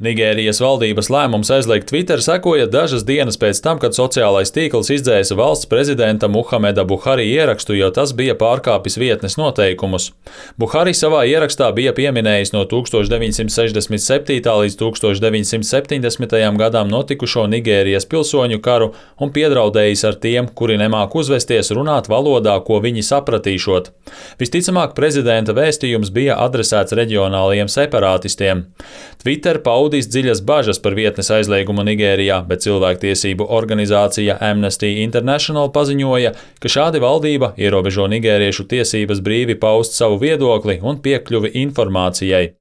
Nigērijas valdības lēmums aizliegt Twitter sekoja dažas dienas pēc tam, kad sociālais tīkls izdzēsa valsts prezidenta Muhameda Buhari ierakstu, jo tas bija pārkāpis vietnes noteikumus. Buhari savā ierakstā bija pieminējis no 1967. līdz 1970. gadam notikušo Nigērijas pilsoņu karu un piedraudējis ar tiem, kuri nemāk uzvesties, runāt valodā, ko viņi sapratīšot. Visticamāk, prezidenta vēstījums bija adresēts reģionālajiem separātistiem. Twitter paudīs dziļas bažas par vietnes aizliegumu Nigērijā, bet cilvēktiesību organizācija Amnesty International paziņoja, ka šādi valdība ierobežo nigēriešu tiesības brīvi paust savu viedokli un piekļuvi informācijai.